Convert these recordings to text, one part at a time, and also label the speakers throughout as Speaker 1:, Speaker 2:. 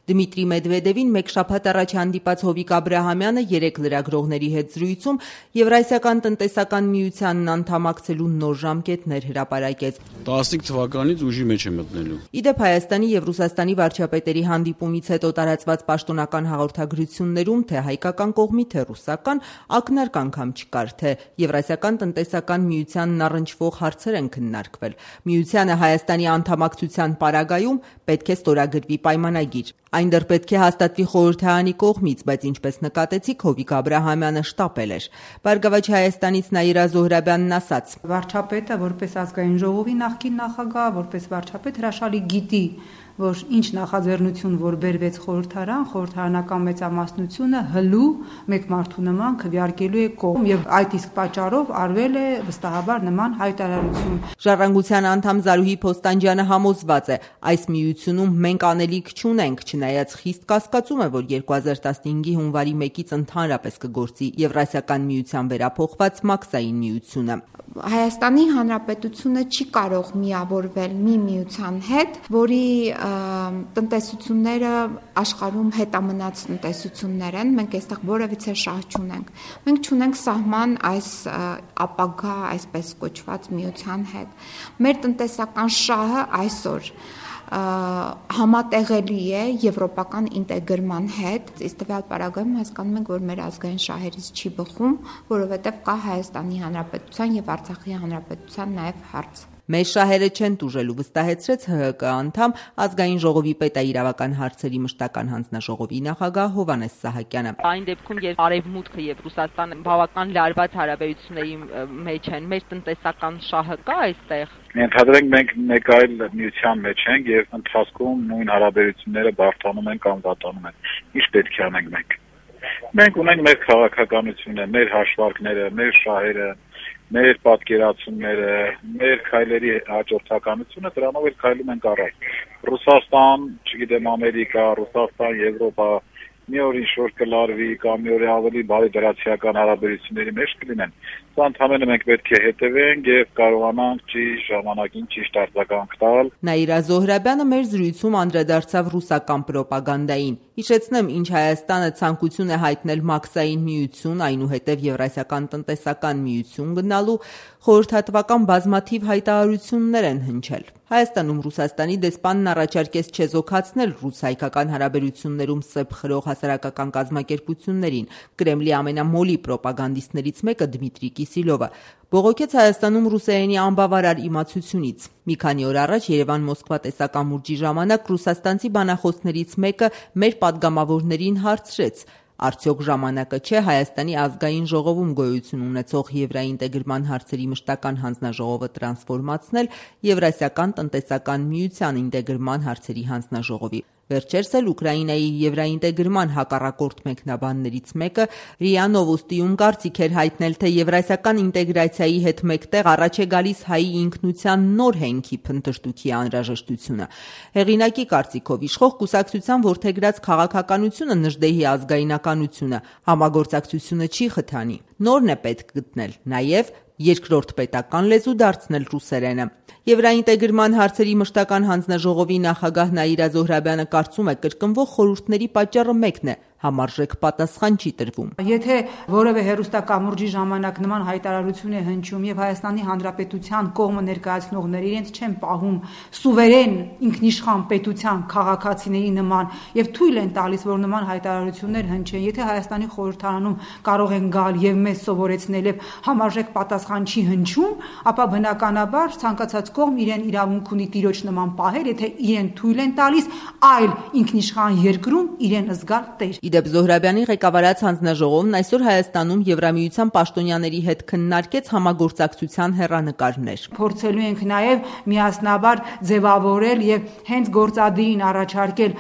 Speaker 1: Դմիտրի Մեդվեդևին մեկ շաբաթ առաջ հանդիպած Հովիկ Աբրահամյանը 3 լրագրողների հետ զրույցում Եվրասիական տնտեսական միությանն անդամակցելու նոր ժամկետներ հրապարակեց։
Speaker 2: 15 թվականից ուժի մեջ է մտնելու։
Speaker 1: Իդեպ Հայաստանի եւ Ռուսաստանի վարչապետերի հանդիպումից հետո տարածված պաշտոնական հաղորդագրություններում թե հայկական կողմի, թե ռուսական ակնարկ անգամ չկար, թե Եվրասիական տնտեսական միությանն առնչվող հարցեր են քննարկվել։ Միությանը Հայաստանի անդամակցության պարագայում պետք է ստորագրվի պայմանագիր։ Այն դեռ պետք է հաստատվի խորհրդարանի կողմից, բայց ինչպես նկատեցիք, Հովիկ Աբրահամյանը շտապել էր։ Բարգավաճ Հայաստանից Նաիրա Զոհրաբյանն ասաց.
Speaker 3: Վարչապետը որպես ազգային ժողովի նախկին նախագահ, որպես վարչապետ հրաշալի գիտի, որ ինչ նախաձեռնություն որ բերվեց խորհրդարանական մեծամասնությունը հլու մեկ մարդու նման քվեարկելու է կողմ եւ այդ իսկ պատճառով արվել է վստահաբար նման հայտարարություն։
Speaker 1: Ժառանգության անդամ Զարուհի Փոստանջյանը համոզված է, այս միությունում մենք անելիք չունենք, չնայած խիստ կասկածում է, որ 2015-ի հունվարի 1-ից ընդհանրապես կգործի Եվրասիական միության վերափոխված մաքսային միությունը։
Speaker 4: Հայաստանի Հանրապետությունը չի կարող միավորվել մի միության հետ, որի տնտեսությունները աշխարհում հետամնաց տնտեսություններ են, մենք այստեղ որևիցե շահ չունենք։ Մենք չունենք սահման այս ապագա, այսպես կոչված միության հետ։ Մեր տնտեսական շահը այսօր համատեղելի է եվրոպական ինտեգրման հետ, իսկ տվյալ պարագայում հասկանում ենք, որ մեր ազգային շահերից չի բխում, որովհետև կա Հայաստանի Հանրապետության եւ Արցախի Հանրապետության նաեւ հարց։
Speaker 1: Մեր շահերը չեն տուժելու, վստահեցրեց ՀՀԿ անդամ Ազգային ժողովի պետաիրավական հարցերի մշտական հանձնաժողովի նախագահ Հովհաննես Սահակյանը։
Speaker 5: Այն դեպքում, երբ Արևմուտքը եւ Ռուսաստանը բավական լարված հարաբերությունների մեջ են, մեր տնտեսական շահը կա այստեղ։
Speaker 6: Ենթադրենք մենք մեկ այլ միության մեջ ենք եւ ընթացքում նույն հարաբերությունները բարդանում են կամ վատանում են։ Ինչ պետք է անենք մենք։ Մենք ունենք մեր քաղաքականությունը, մեր հաշվարկները, մեր շահերը, մեր պատկերացումները, մեր քայլերի հաջորդականությունը, դրանով էլ քայլում ենք առաջ։ Ռուսաստան, չգիտեմ, Ամերիկա, Ռուսաստան, Եվրոպա, մի օր ինչ-որ կլարվի կամ մի օր ավելի բարի դրացիական հարաբերությունների մեջ կլինեն։ Սա ընդհանրապես մենք պետք է հետևենք եւ կարողանանք ճիշտ ժամանակին ճիշտ արձագանք տալ։
Speaker 1: Նաիրա Զոհրաբյանը մեր զրույցում անդրադարձավ ռուսական պրոպագանդային։ Հիշեցնեմ, ինչ Հայաստանը ցանկություն է հայտնել մաքսային միություն, այնուհետև Եվրասիական տնտեսական միություն գնալու խորհրդատվական բազմաթիվ հայտարարություններ են հնչել։ Հայաստանում Ռուսաստանի դեսպանն առաջարկեց չեզոքացնել ռուս-հայկական հարաբերություններում սեպ խրող հասարակական կազմակերպություններին։ Կրեմլի ամենամոլի պրոպագանդիստներից մեկը Դմիտրի Կիսիլովը բողոքեց Հայաստանում ռուսերենի անբավարար իմացությունից։ Մի քանի օր առաջ Երևան-Մոսկվա տեսակամուրջի ժամանակ ռուսաստանցի բանախոսներից մեկը մեր падգամավորներին հարցրեց. Արդյոք ժամանակը չէ Հայաստանի ազգային ժողովում գոյություն ունեցող եվրաինտեգրման հարցերի մշտական հանձնաժողովը տրանսֆորմացնել Եվրասիական տնտեսական միության ինտեգրման հարցերի հանձնաժողովի։ Վերջերս էլ Ուկրաինայի եվրաինտեգրման հակառակորդ մեկնաբաններից մեկը ՌԻԱ Նովոստիում կարծիք էր հայտնել, թե եվրասիական ինտեգրացիայի հետ մեկտեղ առաջ է գալիս հայի ինքնության նոր հենքի փնտրտուքի անհրաժեշտությունը։ Հեղինակի կարծիքով իշխող կուսակցության որդեգրած քաղաքականությունը Նժդեհի ազգայնականությունը համագործակցությունը չի խթանի։ Նորն է պետք գտնել, նաև երկրորդ պետական լեզու դարձնել ռուսերենը։ Եվրաինտեգրման հարցերի մշտական հանձնաժողովի նախագահ Նաիրա Զոհրաբյանը կարծում է, կրկնվող խորհուրդների պատճառը մեկն է՝ համարժեք պատասխան չի տրվում։
Speaker 3: Եթե որևէ հերոստակամուրջի ժամանակ նման հայտարարություն է հնչում եւ Հայաստանի Հանրապետության կողմը ներկայացնողները իրենց չեն պահում սուվերեն ինքնիշխան պետության քաղաքացիների նման եւ թույլ են տալիս, որ նման հայտարարություններ հնչեն, եթե Հայաստանի խորհրդարանում կարող են գալ եւ մեզ սովորեցնել եւ համարժեք պատասխան չի հնչում, ապա բնականաբար ցանկացած կողմ իրեն իրավունք ունի տիրոջ նման պահել, եթե իրեն թույլ են տալիս այլ ինքնիշխան երկրում իրեն զգալ տեր։
Speaker 1: Իդեպ Զոհրաբյանի ղեկավարած հանձնաժողովն այսօր Հայաստանում Եվրամիության պաշտոնյաների հետ քննարկեց համագործակցության հեռանկարներ։
Speaker 3: Փորձելու ենք նաև միասնաբար ձևավորել եւ հենց գործադիրին առաջարկել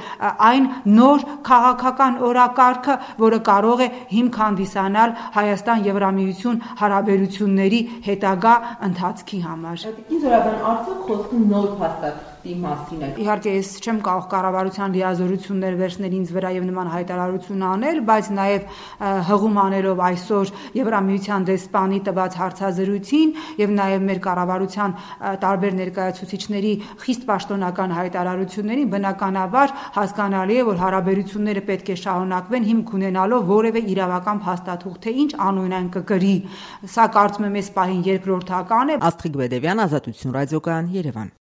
Speaker 3: այն նոր քաղաքական օրակարգը, որը կարող է հիմք հանդիսանալ Հայաստան-Եվրամիություն հարաբերությունների հետագա ընթացքի համար։
Speaker 1: Զոհրաբյան, արդյոք խոսքում նոր փաստաթղթի մասին է։
Speaker 3: Իհարկե ես չեմ կարող կառավարության լիազորություններ վերցնել ինձ վրա եւ նման հայտարարություն անել, բայց նաեւ հղում անելով այսօր Եվրամիության դեսպանի տված հարցազրույցին եւ նաեւ մեր կառավարության տարբեր ներկայացուցիչների խիստ պաշտոնական հայտարարություններին բնականաբար հասկանալի է, որ հարաբերությունները պետք է շարունակվեն հիմք ունենալով որևէ իրավական փաստաթուղթ, թե ինչ անուն են կկրի։ Սա կարծում եմ այս պահին երկրորդական է։
Speaker 1: Աստղիկ Բեդևյան, Ազատություն ռադիոկայան, Երևան։